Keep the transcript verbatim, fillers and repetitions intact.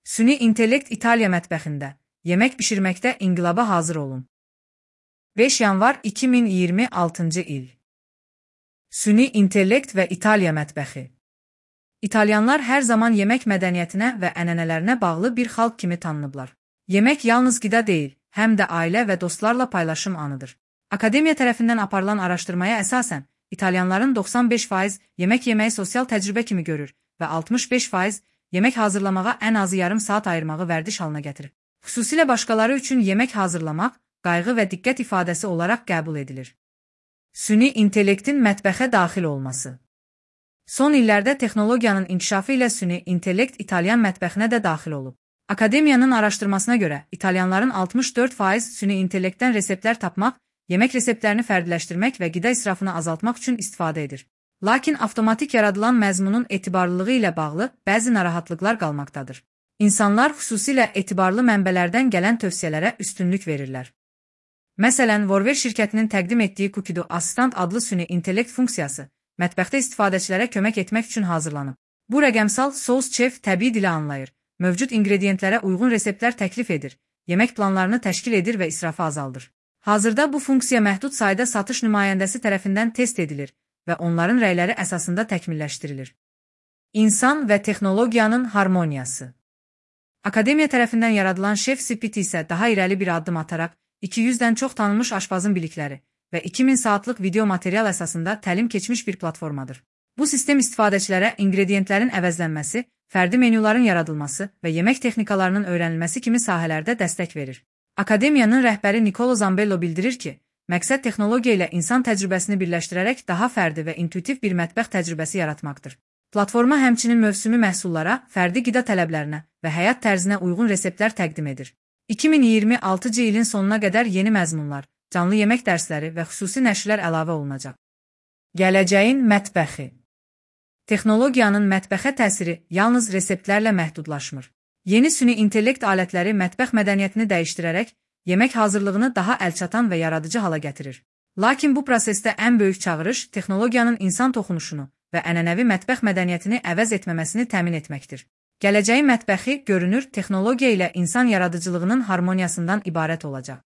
Süni intellekt İtaliya mətbəxində. Yemək bişirməkdə inqilaba hazır olun. beş yanvar iki min iyirmi altıncı il. Süni intellekt və İtaliya mətbəxi. İtalyanlar hər zaman yemək mədəniyyətinə və ənənələrinə bağlı bir xalq kimi tanınıblar. Yemək yalnız qida deyil, həm də ailə və dostlarla paylaşım anıdır. Akademiya tərəfindən aparılan araşdırmaya əsasən, İtalyanların doxsan beş faiz yemək yeməyi sosial təcrübə kimi görür və altmış beş faiz yemək hazırlamağa ən azı yarım saat ayırmağı vərdiş halına gətirir. Xüsusilə başqaları üçün yemək hazırlamaq, qayğı və diqqət ifadəsi olaraq qəbul edilir. Süni intellektin mətbəxə daxil olması. Son illərdə texnologiyanın inkişafı ilə süni intellekt İtalyan mətbəxinə də daxil olub. Akademiyanın araşdırmasına görə, İtalyanların altmış dörd faiz süni intellektdən reseptlər tapmaq, yemək reseptlərini fərdiləşdirmək və qida israfını azaltmaq üçün istifadə edir. Lakin avtomatik yaradılan məzmunun etibarlılığı ilə bağlı bəzi narahatlıqlar qalmaqdadır. İnsanlar xüsusilə etibarlı mənbələrdən gələn tövsiyələrə üstünlük verirlər. Məsələn, Vorwer şirkətinin təqdim etdiyi Cookido Assistant adlı süni intellekt funksiyası, mətbəxdə istifadəçilərə kömək etmək üçün hazırlanıb. Bu rəqəmsal sos chef təbii dili anlayır, mövcud inqrediyentlərə uyğun reseptlər təklif edir, yemək planlarını təşkil edir və israfı azaldır. Hazırda bu funksiya məhdud sayda satış nümayəndəsi tərəfindən test edilir və onların rəyləri əsasında təkmilləşdirilir. İnsan və texnologiyanın harmoniyası. Akademiya tərəfindən yaradılan Chef Spit isə daha irəli bir addım ataraq, iki yüzdən çox tanınmış aşpazın bilikləri və iki min saatlıq video material əsasında təlim keçmiş bir platformadır. Bu sistem istifadəçilərə inqrediyentlərin əvəzlənməsi, fərdi menyuların yaradılması və yemək texnikalarının öyrənilməsi kimi sahələrdə dəstək verir. Akademiyanın rəhbəri Nicolo Zambello bildirir ki, məqsəd texnologiya ilə insan təcrübəsini birləşdirərək daha fərdi və intuitiv bir mətbəx təcrübəsi yaratmaqdır. Platforma həmçinin mövsümi məhsullara, fərdi qida tələblərinə və həyat tərzinə uyğun reseptlər təqdim edir. iki min iyirmi altıncı ilin sonuna qədər yeni məzmunlar, canlı yemək dərsləri və xüsusi nəşrlər əlavə olunacaq. Gələcəyin mətbəxi. Texnologiyanın mətbəxə təsiri yalnız reseptlərlə məhdudlaşmır. Yeni süni intellekt alətləri mətbəx mədəniyyətini dəyişdirərək, yemək hazırlığını daha əlçatan və yaradıcı hala gətirir. Lakin bu prosesdə ən böyük çağırış texnologiyanın insan toxunuşunu və ənənəvi mətbəx mədəniyyətini əvəz etməməsini təmin etməkdir. Gələcəyin mətbəxi görünür texnologiya ilə insan yaradıcılığının harmoniyasından ibarət olacaq.